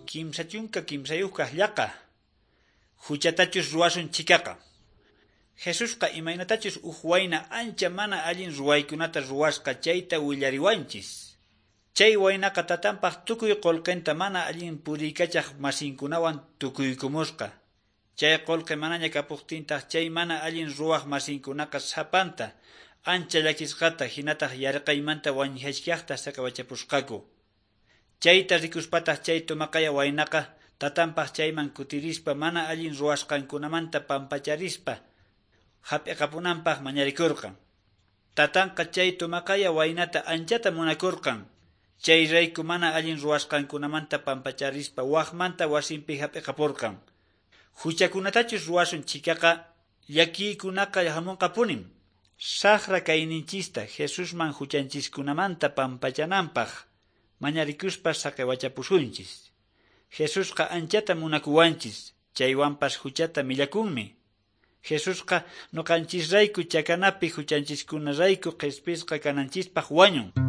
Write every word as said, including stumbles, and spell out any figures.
Kimsa chunka kimsayuqkaq llaqa. Huchatachus ruwasun chhikaqa. Jesusqa imaynatachus huk wayna ancha mana allin ruwaykunata ruwasqa chayta willariwanchis. Chay waynaqa tatanpaq tukuy qullqinta mana allin puriykachaq masinkunawan tukuykumusqa. Chay qullqi manaña kapuqtintaq chay mana allin ruwaq masinkunaqa sapanta ancha llakisqata hinataq yarqaymanta wañuchkaqta saqawachapusqaku. Chayta rikuspataq chay tumaqaya waynaqa tatanpaq chayman kutirispa mana allin ruwasqankunamanta pampacharispa hap'iqapunanpaq mañarikurqan. Tatanqa chay tumaqaya waynata anchata munakurqan. Chayrayku mana allin ruwasqankunamanta pampacharispa waqmanta wasinpi hap'iqapurqan. Huchakunatachus ruwasun chhikaqa llakiykunaqa hamunqapunim. Saqra kayninchista Jesusman huchanchiskunamanta pampachananpaq mañarikuspa saqiwachapusunchis. Jesusqa anchata munakuwanchis, chaywanpas huchata millakunmi. Jesusqa ñuqanchisrayku chakanapi huchanchiskunarayku qhispisqa kananchispaq wañun.